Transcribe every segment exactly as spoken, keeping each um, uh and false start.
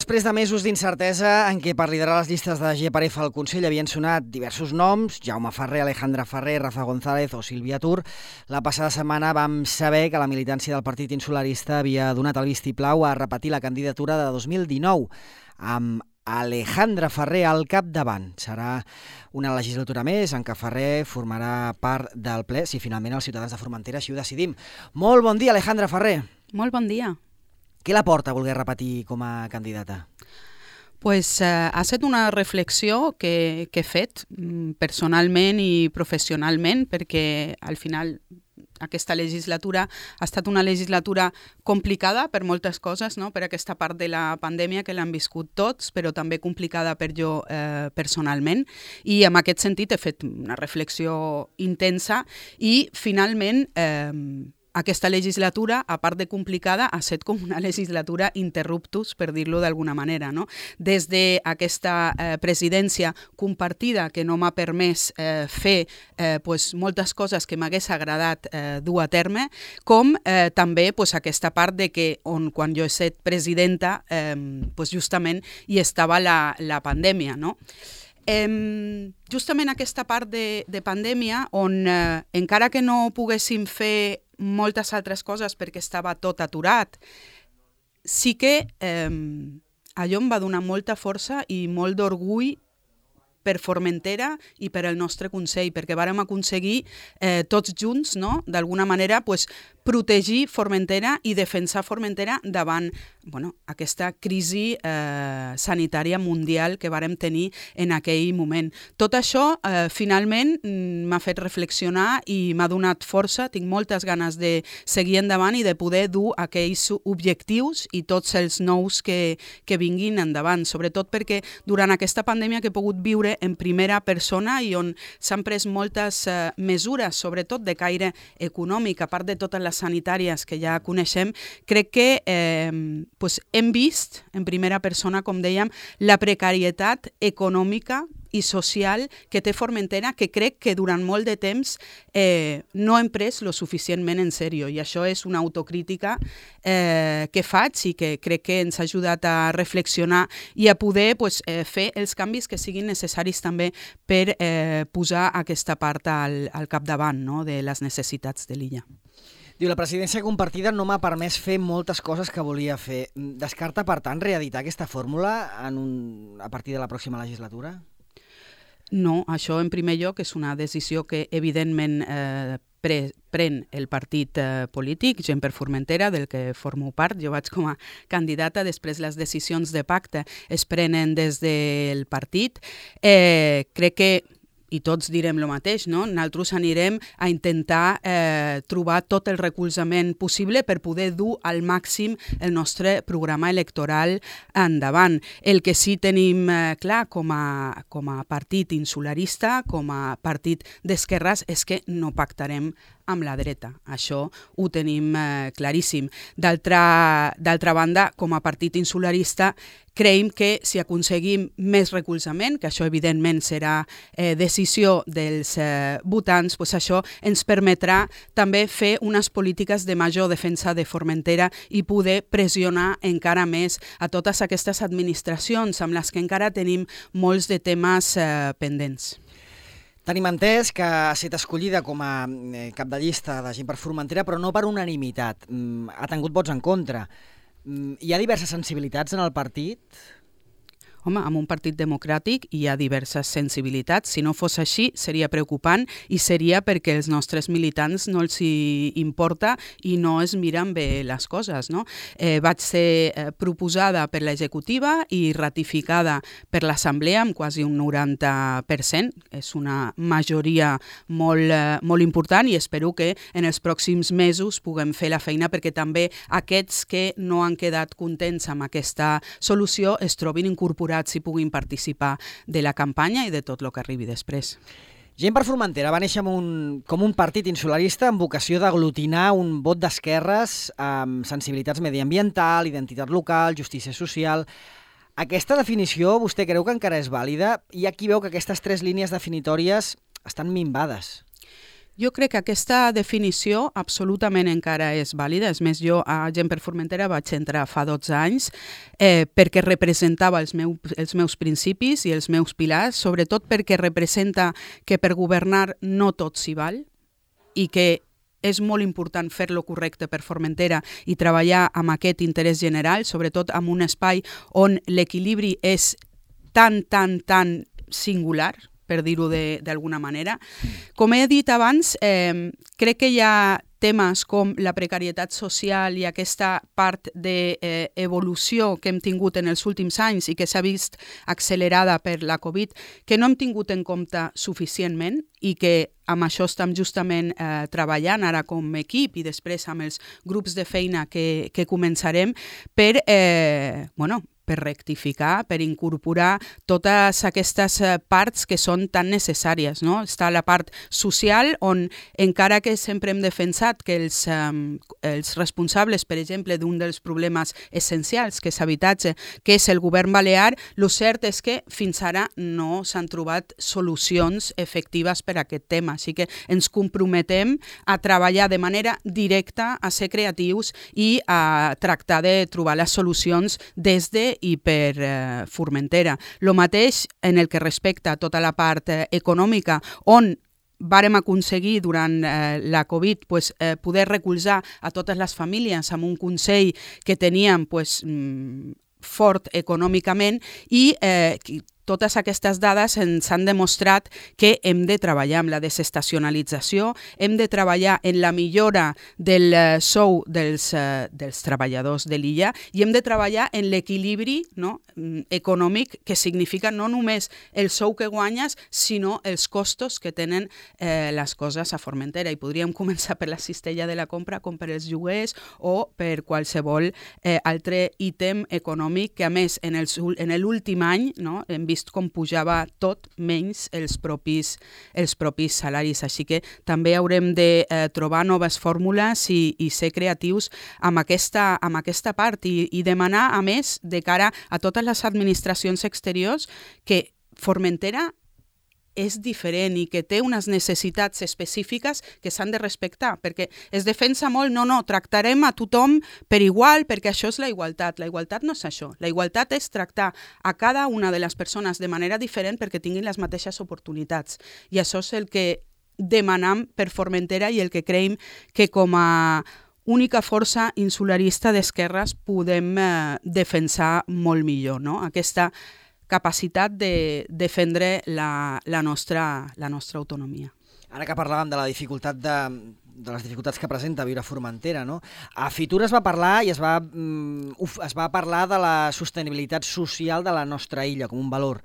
Després de mesos d'incertesa en què per liderar les llistes de G per F al Consell havien sonat diversos noms, Jaume Ferrer, Alejandra Ferrer, Rafa González o Sílvia Tur, la passada setmana vam saber que la militància del Partit Insularista havia donat el vistiplau a repetir la candidatura de dos mil dinou, amb Alejandra Ferrer al capdavant. Serà una legislatura més en què Ferrer formarà part del ple, si finalment els ciutadans de Formentera així ho decidim. Molt bon dia, Alejandra Ferrer. Molt bon dia. Què la porta a voler repetir com a candidata? Pues, eh, ha estat una reflexió que, que he fet personalment i professionalment, perquè al final aquesta legislatura ha estat una legislatura complicada per moltes coses, no? Per aquesta part de la pandèmia que l'han viscut tots, però també complicada per jo eh, personalment. I en aquest sentit he fet una reflexió intensa i finalment eh, aquesta legislatura, a part de complicada, ha estat com una legislatura interruptus, per dir-lo d'alguna manera, no? Des d'aquesta eh, presidència compartida que no m'ha permès eh, fer eh, pues, moltes coses que m'hagués agradat eh, dur a terme, com eh, també pues, aquesta part de que on, quan jo he estat presidenta, eh, pues, justament hi estava la, la pandèmia, no? Eh, justament aquesta part de, de pandèmia on eh, encara que no poguéssim fer moltes altres coses perquè estava tot aturat, sí que eh, allò em va donar molta força i molt d'orgull per Formentera i per el nostre Consell, perquè vàrem aconseguir eh, tots junts, no? D'alguna manera, pues, protegir Formentera i defensar Formentera davant bueno, aquesta crisi eh, sanitària mundial que vàrem tenir en aquell moment. Tot això, eh, finalment, m'ha fet reflexionar i m'ha donat força. Tinc moltes ganes de seguir endavant i de poder dur aquells objectius i tots els nous que, que vinguin endavant, sobretot perquè durant aquesta pandèmia que he pogut viure en primera persona i on s'han pres moltes eh, mesures, sobretot de caire econòmic, a part de totes les sanitàries que ja coneixem, crec que eh, pues hem vist en primera persona, com dèiem, la precarietat econòmica i social que té Formentera, que crec que durant molt de temps eh, no hem pres lo suficientment en sèrio. I això és una autocrítica eh, que faig i que crec que ens ha ajudat a reflexionar i a poder pues, eh, fer els canvis que siguin necessaris també per eh, posar aquesta part al, al capdavant, no? De les necessitats de l'illa. Diu, la presidència compartida no m'ha permès fer moltes coses que volia fer. Descarta, per tant, reeditar aquesta fórmula en un, a partir de la pròxima legislatura? No, això en primer lloc és una decisió que evidentment eh, pre, pren el partit eh, polític, Gent per Formentera, del que formo part. Jo vaig com a candidata, després les decisions de pacte es prenen des del partit. Eh, crec que i tots direm el mateix, no? Nosaltres anirem a intentar eh, trobar tot el recolzament possible per poder dur al màxim el nostre programa electoral endavant. El que sí tenim eh, clar com a, com a partit insularista, com a partit d'esquerres, és que no pactarem amb la dreta. Això ho tenim eh, claríssim. D'altra d'altra banda, com a partit insularista, creiem que si aconseguim més recolzament, que això evidentment serà eh, decisió dels eh, votants, pues això ens permetrà també fer unes polítiques de major defensa de Formentera i poder pressionar encara més a totes aquestes administracions amb les que encara tenim molts de temes eh, pendents. Tenim entès que ha estat escollida com a cap de llista de Gent per Formentera, però no per unanimitat. Ha tingut vots en contra. Hi ha diverses sensibilitats en el partit? Home, en un partit democràtic hi ha diverses sensibilitats. Si no fos així, seria preocupant i seria perquè els nostres militants no els hi importa i no es miren bé les coses, no? Eh, vaig ser eh, proposada per l'executiva i ratificada per l'assemblea amb quasi un noranta per cent. És una majoria molt, eh, molt important i espero que en els pròxims mesos puguem fer la feina perquè també aquests que no han quedat contents amb aquesta solució es trobin incorporats i puguin participar de la campanya i de tot el que arribi després. Gent per Formentera va néixer un, com un partit insularista amb vocació d'aglutinar un vot d'esquerres amb sensibilitats mediambiental, identitat local, justícia social. Aquesta definició vostè creu que encara és vàlida? Hi ha qui veu que aquestes tres línies definitòries estan minvades. Jo crec que aquesta definició absolutament encara és vàlida. És més, jo a Gent per Formentera vaig entrar fa dotze anys eh, perquè representava els, meu, els meus principis i els meus pilars, sobretot perquè representa que per governar no tot s'hi val i que és molt important fer-lo correcte per Formentera i treballar amb aquest interès general, sobretot en un espai on l'equilibri és tan, tan, tan singular, per dir-ho d'alguna manera. Com he dit abans, eh, crec que hi ha temes com la precarietat social i aquesta part d'evolució eh, que hem tingut en els últims anys i que s'ha vist accelerada per la Covid, que no hem tingut en compte suficientment i que amb això estem justament eh, treballant ara com a equip i després amb els grups de feina que, que començarem per, eh, bueno, per rectificar, per incorporar totes aquestes parts que són tan necessàries, no? Està la part social, on encara que sempre hem defensat que els, um, els responsables, per exemple, d'un dels problemes essencials, que és habitatge, que és el govern balear, el cert és que fins ara no s'han trobat solucions efectives per a aquest tema. Així que ens comprometem a treballar de manera directa, a ser creatius i a tractar de trobar les solucions des de i per eh, Formentera. Lo mateix en el que respecta a tota la part eh, econòmica, on vàrem aconseguir durant eh, la Covid pues, eh, poder recolzar a totes les famílies amb un consell que teníem pues, mm, fort econòmicament i eh, totes aquestes dades ens han demostrat que hem de treballar amb la desestacionalització, hem de treballar en la millora del uh, sou dels, uh, dels treballadors de l'illa i hem de treballar en l'equilibri, no, econòmic, que significa no només el sou que guanyes, sinó els costos que tenen eh, les coses a Formentera. I podríem començar per la cistella de la compra, com per els lloguers o per qualsevol eh, altre ítem econòmic que, a més, en, els, en l'últim any, no, hem vist com pujava tot menys els propis, els propis salaris. Així que també haurem de eh, trobar noves fórmules i, i ser creatius amb aquesta, amb aquesta part i, i demanar, a més, de cara a totes les administracions exteriors, que Formentera és diferent i que té unes necessitats específiques que s'han de respectar, perquè es defensa molt, no, no, tractarem a tothom per igual, perquè això és la igualtat. La igualtat no és això. La igualtat és tractar a cada una de les persones de manera diferent perquè tinguin les mateixes oportunitats. I això és el que demanam per Formentera i el que creiem que com a única força insularista d'esquerres podem eh, defensar molt millor, no? Aquesta capacitat de defendre la, la, nostra, la nostra autonomia. Ara que parlàvem de la dificultat de, de les dificultats que presenta viure a Formentera, no? A Fitur es va parlar i es va, mm, uf, es va parlar de la sostenibilitat social de la nostra illa com un valor.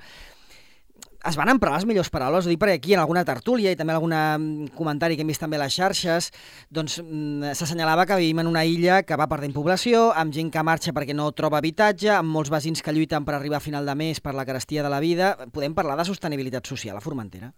Es van emprar les millors paraules, ho dic perquè aquí en alguna tertúlia i també en algun comentari que hem vist també a les xarxes, doncs s'assenyalava que vivim en una illa que va perdent població, amb gent que marxa perquè no troba habitatge, amb molts veïns que lluiten per arribar a final de mes per la carestia de la vida. Podem parlar de sostenibilitat social a Formentera?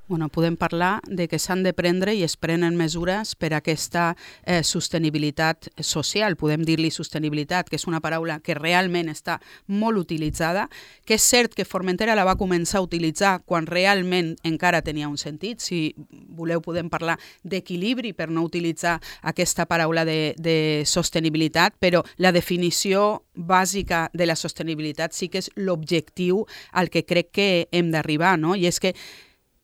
Bueno, podem parlar de que s'han de prendre i es prenen mesures per a aquesta eh, sostenibilitat social. Podem dir-li sostenibilitat, que és una paraula que realment està molt utilitzada, que és cert que Formentera la va començar a utilitzar quan realment encara tenia un sentit. Si voleu podem parlar d'equilibri per no utilitzar aquesta paraula de, de sostenibilitat, però la definició bàsica de la sostenibilitat sí que és l'objectiu al que crec que hem d'arribar, no? I és que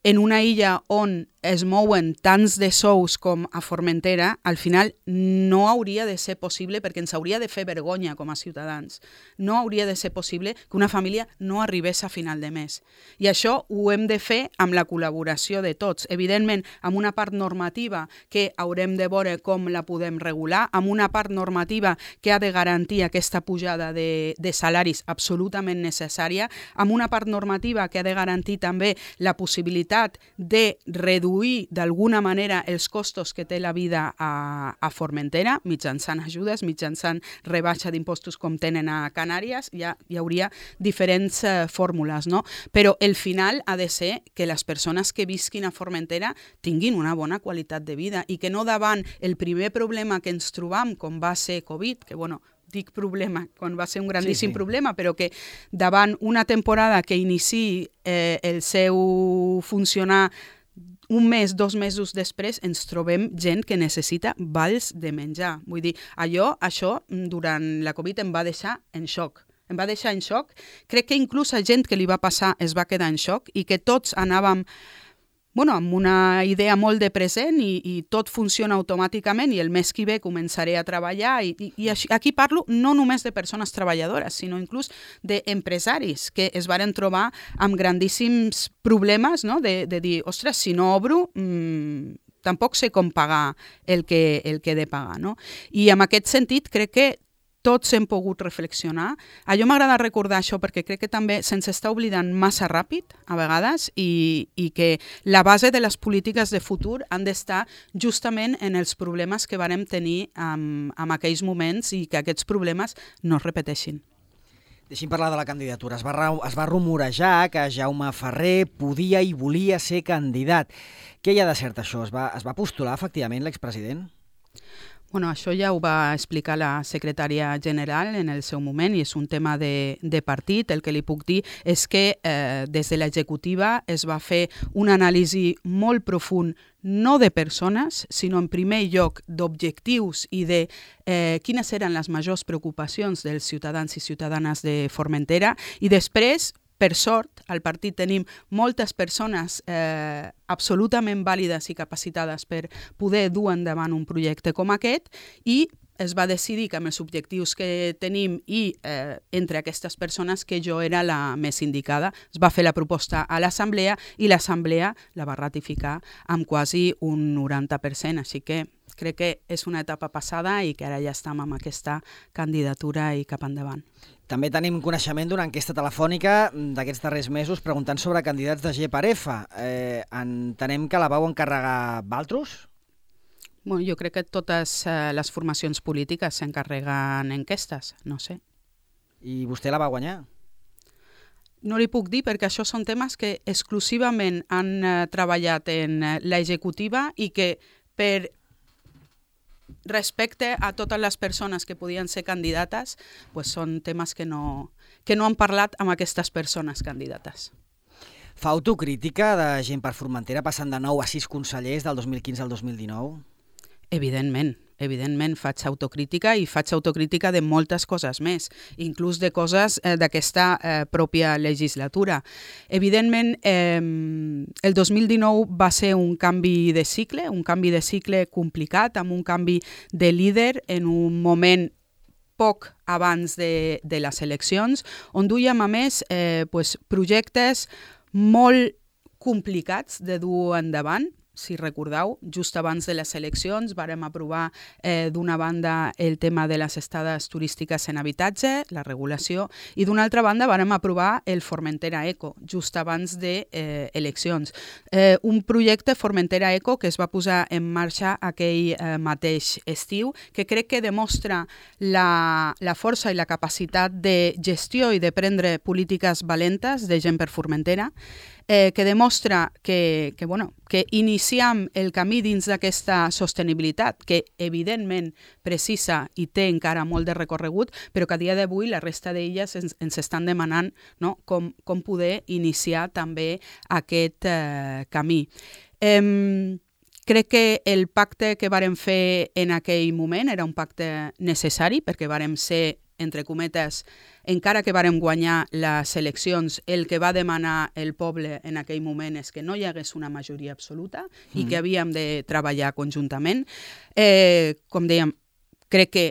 en una illa on es mouen tants de sous com a Formentera, al final no hauria de ser possible, perquè ens hauria de fer vergonya com a ciutadans. No hauria de ser possible que una família no arribés a final de mes. I això ho hem de fer amb la col·laboració de tots. Evidentment, amb una part normativa que haurem de veure com la podem regular, amb una part normativa que ha de garantir aquesta pujada de, de salaris absolutament necessària, amb una part normativa que ha de garantir també la possibilitat de reduir d'alguna manera els costos que té la vida a, a Formentera, mitjançant ajudes, mitjançant rebaixa d'impostos com tenen a Canàries. Ja hi hauria diferents eh, fórmules, no? Però el final ha de ser que les persones que visquin a Formentera tinguin una bona qualitat de vida i que no davant el primer problema que ens trobam, com va ser Covid, que bueno, dic problema, quan va ser un grandíssim sí, sí. problema, però que davant una temporada que iniciï eh, el seu funcionar un mes, dos mesos després, ens trobem gent que necessita vals de menjar. Vull dir, allò, això, durant la Covid em va deixar en xoc. Em va deixar en xoc. Crec que inclús a gent que li va passar es va quedar en xoc i que tots anàvem bueno, amb una idea molt de present i, i tot funciona automàticament i el mes que ve començaré a treballar i, i, i aquí parlo no només de persones treballadores, sinó inclús d'empresaris que es varen trobar amb grandíssims problemes, no? de, de dir, ostres, si no obro, mmm, tampoc sé com pagar el que, el que he de pagar. No? I en aquest sentit crec que tots hem pogut reflexionar. A jo m'agrada recordar això perquè crec que també se'ns està oblidant massa ràpid, a vegades, i, i que la base de les polítiques de futur han d'estar justament en els problemes que vàrem tenir en, en aquells moments i que aquests problemes no es repeteixin. Deixi'm parlar de la candidatura. Es va, es va rumorejar que Jaume Ferrer podia i volia ser candidat. Què hi ha de cert això? Es va, es va postular efectivament l'expresident? Bueno, això ja ho va explicar la secretària general en el seu moment i és un tema de, de partit. El que li puc dir és que eh, des de l'executiva es va fer una anàlisi molt profund no de persones, sinó en primer lloc d'objectius i de eh, quines eren les majors preocupacions dels ciutadans i ciutadanes de Formentera i després, per sort, al partit tenim moltes persones eh, absolutament vàlides i capacitades per poder dur endavant un projecte com aquest i es va decidir que amb els objectius que tenim i eh, entre aquestes persones que jo era la més indicada. Es va fer la proposta a l'Assemblea i l'Assemblea la va ratificar amb quasi un noranta per cent, així que crec que és una etapa passada i que ara ja estem amb aquesta candidatura i cap endavant. També tenim coneixement d'una enquesta telefònica d'aquests darrers mesos preguntant sobre candidats de G per F. Eh, entenem que la vau encarregar Valtros? Bueno, jo crec que totes eh, les formacions polítiques s'encarreguen enquestes, no sé. I vostè la va guanyar? No li puc dir perquè això són temes que exclusivament han eh, treballat en eh, l'executiva i que per respecte a totes les persones que podien ser candidates, pues són temes que no, que no han parlat amb aquestes persones candidates. Fa autocrítica de Gent per Formentera passant de nou a sis consellers del dos mil quinze al dos mil dinou? Evidentment, evidentment faig autocrítica i faig autocrítica de moltes coses més, inclús de coses eh, d'aquesta eh, pròpia legislatura. Evidentment, eh, el dos mil dinou va ser un canvi de cicle, un canvi de cicle complicat, amb un canvi de líder en un moment poc abans de, de les eleccions, on duíem a més eh, pues, projectes molt complicats de dur endavant. Si recordeu, just abans de les eleccions vàrem aprovar eh, d'una banda el tema de les estades turístiques en habitatge, la regulació, i d'una altra banda vàrem aprovar el Formentera Eco, just abans de eh, eleccions. Eh, un projecte Formentera Eco que es va posar en marxa aquell eh, mateix estiu, que crec que demostra la, la força i la capacitat de gestió i de prendre polítiques valentes de Gent per Formentera, Eh, que demostra que, que, bueno, que iniciam el camí dins d'aquesta sostenibilitat, que evidentment precisa i té encara molt de recorregut, però que a dia d'avui la resta d'elles ens, ens estan demanant, no? com, com poder iniciar també aquest eh, camí. Eh, Crec que el pacte que vàrem fer en aquell moment era un pacte necessari perquè vàrem ser, entre cometes, encara que vàrem guanyar les eleccions, el que va demanar el poble en aquell moment és que no hi hagués una majoria absoluta i que havíem de treballar conjuntament. Eh, com dèiem, crec que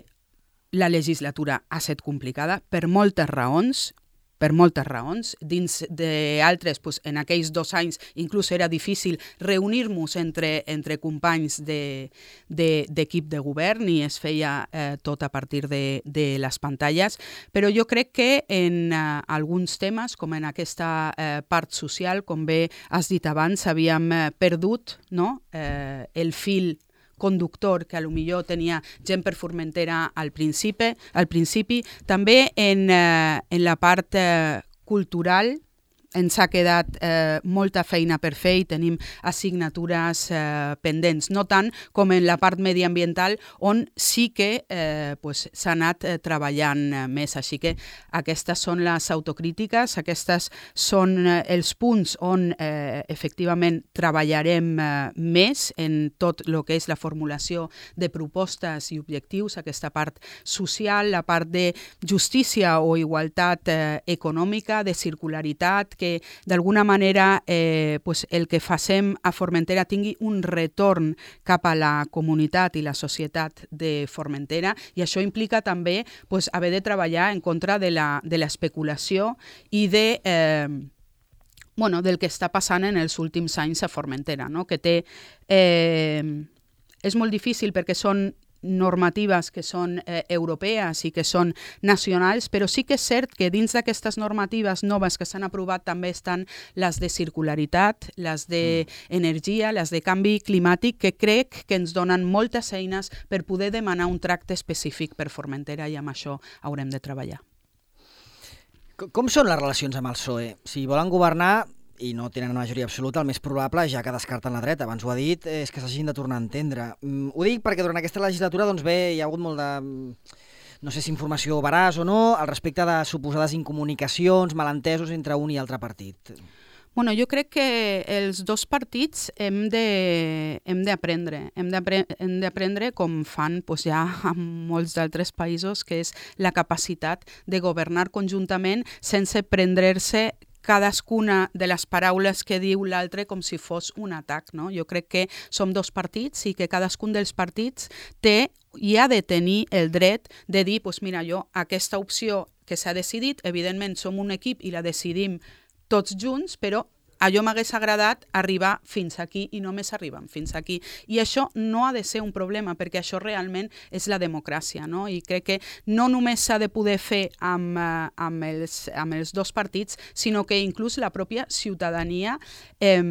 la legislatura ha estat complicada per moltes raons, per moltes raons. Dins d'altres, pues, en aquells dos anys inclús era difícil reunir-nos entre, entre companys d'equip de, de, de govern i es feia eh, tot a partir de, de les pantalles, però jo crec que en eh, alguns temes, com en aquesta eh, part social, com bé has dit abans, havíem eh, perdut, no? eh, el fil conductor que a lo millor tenia Gent per Formentera al principi, al principi. També en, eh, en la part eh, cultural ens ha quedat eh, molta feina per fer i tenim assignatures eh, pendents, no tant com en la part mediambiental on sí que eh, pues, s'ha anat eh, treballant eh, més. Així que aquestes són les autocrítiques, aquestes són eh, els punts on eh, efectivament treballarem eh, més en tot el que és la formulació de propostes i objectius, aquesta part social, la part de justícia o igualtat eh, econòmica, de circularitat, que d'alguna manera eh, pues el que facem a Formentera tingui un retorn cap a la comunitat i la societat de Formentera, i això implica també pues, haver de treballar en contra de la, de l'especulació i de... Eh, bueno, del que està passant en els últims anys a Formentera, no? Que té... Eh, és molt difícil perquè són normatives que són eh, europees i que són nacionals, però sí que és cert que dins d'aquestes normatives noves que s'han aprovat també estan les de circularitat, les d'energia, les de canvi climàtic, que crec que ens donen moltes eines per poder demanar un tracte específic per Formentera, i amb això haurem de treballar. Com són les relacions amb el P S O E? Si volen governar i no tenen majoria absoluta, el més probable, ja que descarten la dreta, abans ho ha dit, és que s'hagin de tornar a entendre. Mm, ho dic perquè durant aquesta legislatura doncs bé, hi ha hagut molt de, no sé si informació veraç o no, al respecte de suposades incomunicacions, malentesos entre un i altre partit. Bueno, jo crec que els dos partits hem de, hem d'aprendre, hem d'aprendre com fan pues, ja en molts d'altres països, que és la capacitat de governar conjuntament sense prendre-se cadascuna de les paraules que diu l'altre com si fos un atac, no? Jo crec que som dos partits i que cadascun dels partits té i ha de tenir el dret de dir, pues mira, jo aquesta opció que s'ha decidit, evidentment som un equip i la decidim tots junts, però allò m'hagués agradat arribar fins aquí i només arribem fins aquí. I això no ha de ser un problema, perquè això realment és la democràcia, no? I crec que no només s'ha de poder fer amb, amb, els, amb els dos partits, sinó que inclús la pròpia ciutadania eh,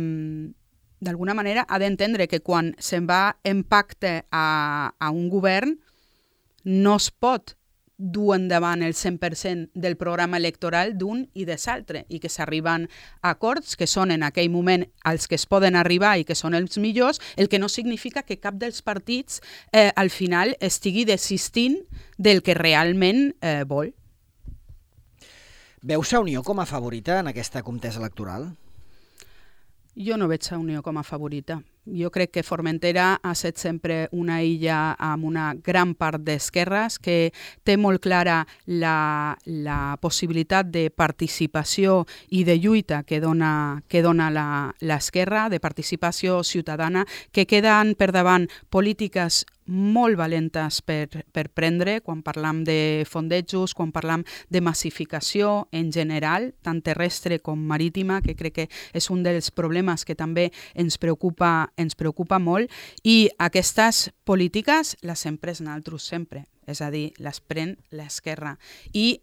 d'alguna manera ha d'entendre que quan se'n va en pacte a, a un govern no es pot dur endavant el cent per cent del programa electoral d'un i de l'altre, i que s'arriben a acords que són en aquell moment els que es poden arribar i que són els millors, el que no significa que cap dels partits eh, al final estigui desistint del que realment eh, vol. Veus a Unió com a favorita en aquesta contesa electoral? Jo no veig a Unió com a favorita. Jo crec que Formentera ha estat sempre una illa amb una gran part d'esquerres que té molt clara la, la possibilitat de participació i de lluita que dona, que dona l'esquerra, de participació ciutadana, que queden per davant polítiques molt valentes per, per prendre quan parlam de fondejos, quan parlam de massificació en general, tant terrestre com marítima, que crec que és un dels problemes que també ens preocupa, ens preocupa molt, i aquestes polítiques les hem pres nosaltres sempre, és a dir, les pren l'esquerra. I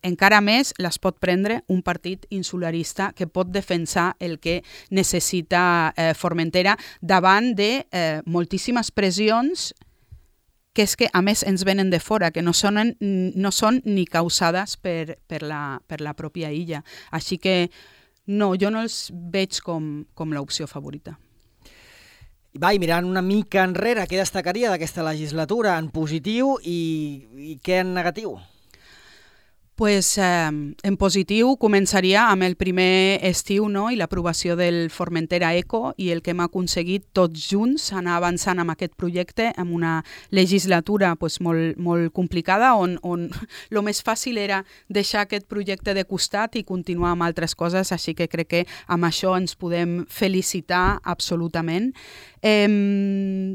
encara més les pot prendre un partit insularista que pot defensar el que necessita eh, Formentera davant de eh, moltíssimes pressions que és que a més ens venen de fora, que no són, no són ni causades per, per, la, per la pròpia illa. Així que no, jo no els veig com, com l'opció favorita. Va, i mirant una mica enrere, què destacaria d'aquesta legislatura en positiu i, i què en negatiu? Pues, eh, en positiu començaria amb el primer estiu, no? I l'aprovació del Formentera Eco i el que hem aconseguit tots junts anar avançant amb aquest projecte amb una legislatura pues, molt, molt complicada on, on el més fàcil era deixar aquest projecte de costat i continuar amb altres coses, així que crec que amb això ens podem felicitar absolutament. Eh,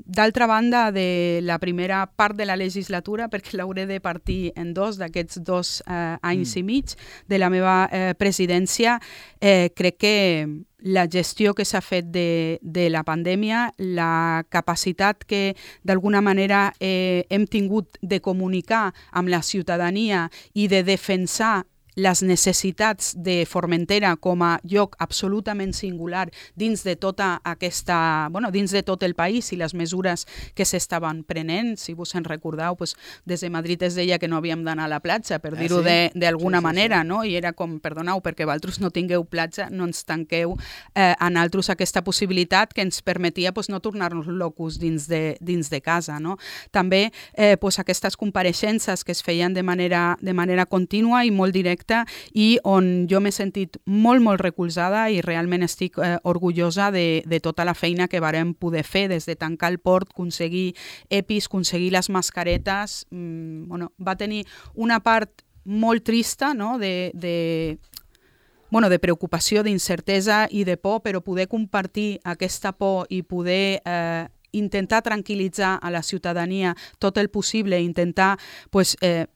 d'altra banda, de la primera part de la legislatura, perquè l'hauré de partir en dos d'aquests dos eh, anys mm. i mig de la meva eh, presidència, eh, crec que la gestió que s'ha fet de, de la pandèmia, la capacitat que d'alguna manera eh, hem tingut de comunicar amb la ciutadania i de defensar les necessitats de Formentera com a lloc absolutament singular dins de tota aquesta, bueno, dins de tot el país i les mesures que s'estaven prenent. Si vos en recordeu, pues, des de Madrid es deia que no havíem d'anar a la platja, per dir-ho ah, sí? d'alguna sí, sí, manera, sí. no? I era com, perdoneu, perquè vosaltres no tingueu platja, no ens tanqueu eh, a nosaltres aquesta possibilitat que ens permetia pues, no tornar-nos locos dins de, dins de casa, no? També eh, pues, aquestes compareixences que es feien de manera, de manera contínua i molt directa i on jo m'he sentit molt, molt recolzada i realment estic eh, orgullosa de, de tota la feina que vàrem poder fer, des de tancar el port, aconseguir EPIs, aconseguir les mascaretes. Mm, bueno, va tenir una part molt trista, no?, de... de bueno, de preocupació, d'incertesa i de por, però poder compartir aquesta por i poder eh, intentar tranquil·litzar a la ciutadania tot el possible, intentar pues, eh,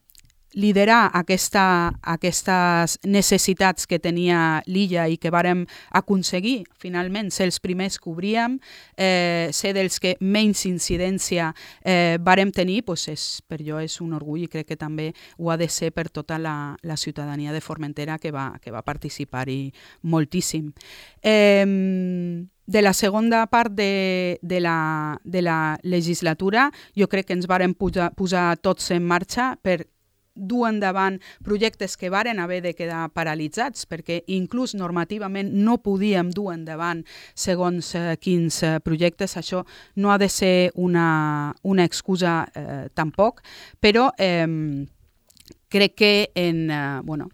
liderar aquesta, aquestes necessitats que tenia l'illa i que vàrem aconseguir, finalment, ser els primers que obríem, eh, ser dels que menys incidència eh, vàrem tenir, pues és, per jo és un orgull i crec que també ho ha de ser per tota la, la ciutadania de Formentera que va, que va participar-hi moltíssim. Eh, De la segona part de, de, la, de la legislatura, jo crec que ens vàrem posar, posar tots en marxa per dur endavant projectes que varen haver de quedar paralitzats, perquè inclús normativament no podíem dur endavant segons eh, quins eh, projectes. Això no ha de ser una, una excusa eh, tampoc, però eh, crec que en... Eh, bueno,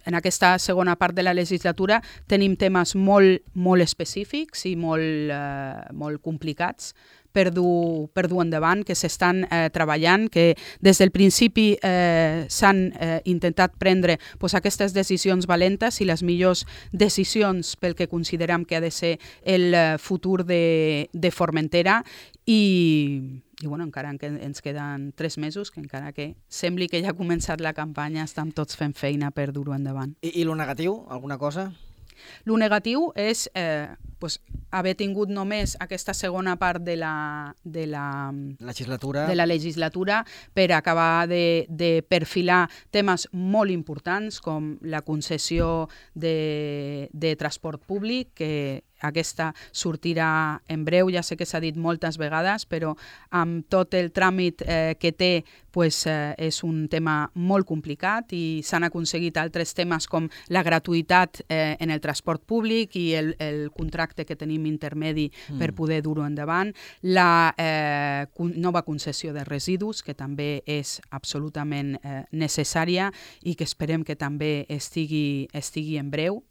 en aquesta segona part de la legislatura tenim temes molt, molt específics i molt, eh, molt complicats per dur, per dur endavant, que s'estan eh, treballant, que des del principi eh, s'han eh, intentat prendre pues, aquestes decisions valentes i les millors decisions pel que considerem que ha de ser el eh, futur de, de Formentera i... I bueno, encara que ens queden tres mesos, que encara que sembli que ja ha començat la campanya, estem tots fent feina per dur-ho endavant. I, I lo negatiu? Alguna cosa? Lo negatiu és eh, pues, haver tingut només aquesta segona part de la, de la, legislatura. de la legislatura per acabar de, de perfilar temes molt importants com la concessió de, de transport públic, que aquesta sortirà en breu, ja sé que s'ha dit moltes vegades, però amb tot el tràmit eh, que té pues, eh, és un tema molt complicat i s'han aconseguit altres temes com la gratuïtat eh, en el transport públic i el, el contracte que tenim intermedi mm. per poder dur-ho endavant, la eh, nova concessió de residus, que també és absolutament eh, necessària i que esperem que també estigui, estigui en breu.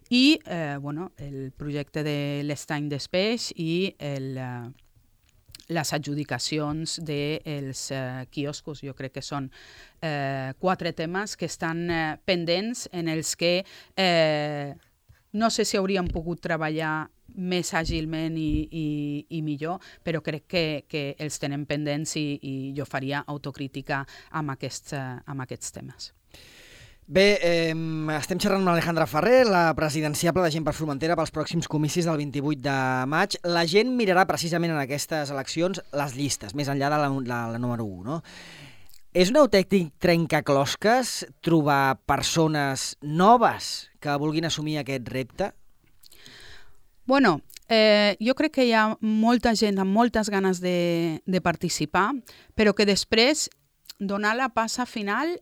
I eh, bueno, el projecte de l'estany d'Espeix i el, eh, les adjudicacions dels eh, quioscos. Jo crec que són eh, quatre temes que estan eh, pendents en els que eh, no sé si hauríem pogut treballar més àgilment i, i, i millor, però crec que, que els tenem pendents i, i jo faria autocrítica amb aquests, eh, amb aquests temes. Bé, eh, estem xerrant amb Alejandra Ferrer, la presidenciable de Gent per Formentera pels pròxims comicis del vint-i-vuit de maig. La gent mirarà precisament en aquestes eleccions les llistes, més enllà de la, la, la número u, no? És un autèntic trencaclosques trobar persones noves que vulguin assumir aquest repte? Bueno, eh, jo crec que hi ha molta gent amb moltes ganes de, de participar, però que després donar la passa final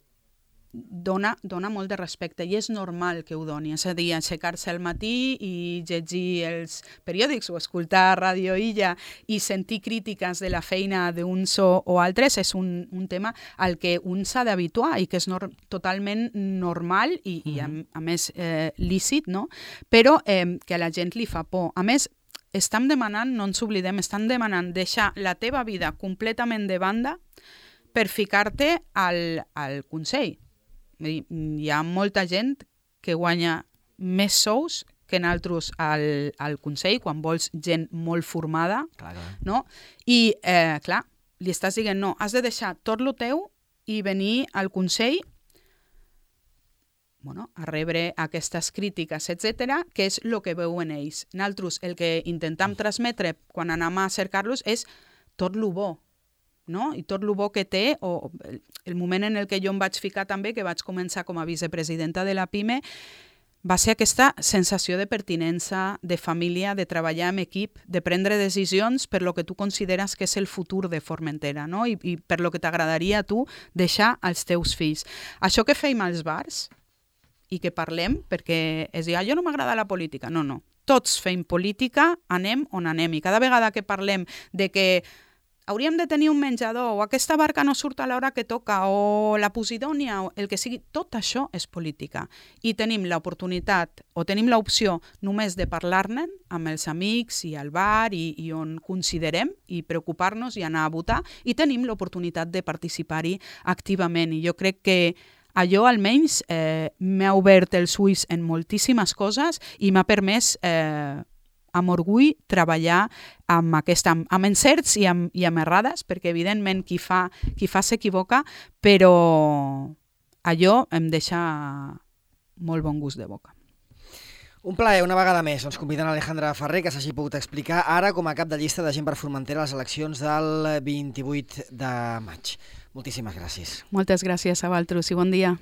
Dona, dona molt de respecte i és normal que ho doni, és a dir, aixecar-se al matí i llegir els periòdics o escoltar Ràdio Illa i sentir crítiques de la feina d'uns o, o altres és un, un tema al que un s'ha d'habituar i que és nor totalment normal i, i a, a més eh, lícit, no? Però eh, que a la gent li fa por. A més, estem demanant, no ens oblidem, estan demanant deixar la teva vida completament de banda per ficar-te al, al Consell. Hi ha molta gent que guanya més sous que nosaltres al, al Consell, quan vols gent molt formada, clar, clar. No? I, eh, clar, li estàs dient, no, has de deixar tot lo teu i venir al Consell bueno, a rebre aquestes crítiques, etcètera, que és el que veuen ells. Nosaltres el que intentem transmetre quan anem a cercar-los és tot lo bo, no? I tot el bo que té, o el moment en el que jo em vaig ficar també, que vaig començar com a vicepresidenta de la PIME, va ser aquesta sensació de pertinença, de família, de treballar en equip, de prendre decisions per lo que tu consideres que és el futur de Formentera, no? I, i per lo que t'agradaria a tu deixar als teus fills. Això que feim als bars i que parlem, perquè es diu, ah, jo no m'agrada la política. No, no. Tots fem política, anem on anem. I cada vegada que parlem de que hauríem de tenir un menjador, o aquesta barca no surt a l'hora que toca, o la Posidònia, o el que sigui, tot això és política. I tenim l'oportunitat, o tenim l'opció només de parlar-ne amb els amics i al bar i, i on considerem i preocupar-nos i anar a votar, i tenim l'oportunitat de participar-hi activament. I jo crec que allò almenys eh, m'ha obert els ulls en moltíssimes coses i m'ha permès eh, amb orgull treballar amb, aquesta, amb encerts i amb, i amb errades, perquè evidentment qui fa, qui fa s'equivoca, però allò em deixa molt bon gust de boca. Un plaer, una vegada més. Ens conviden a Alejandra Ferrer, que s'hagi pogut explicar ara com a cap de llista de Gent per Formentera a les eleccions del vint-i-vuit de maig. Moltíssimes gràcies. Moltes gràcies a vosaltres i bon dia.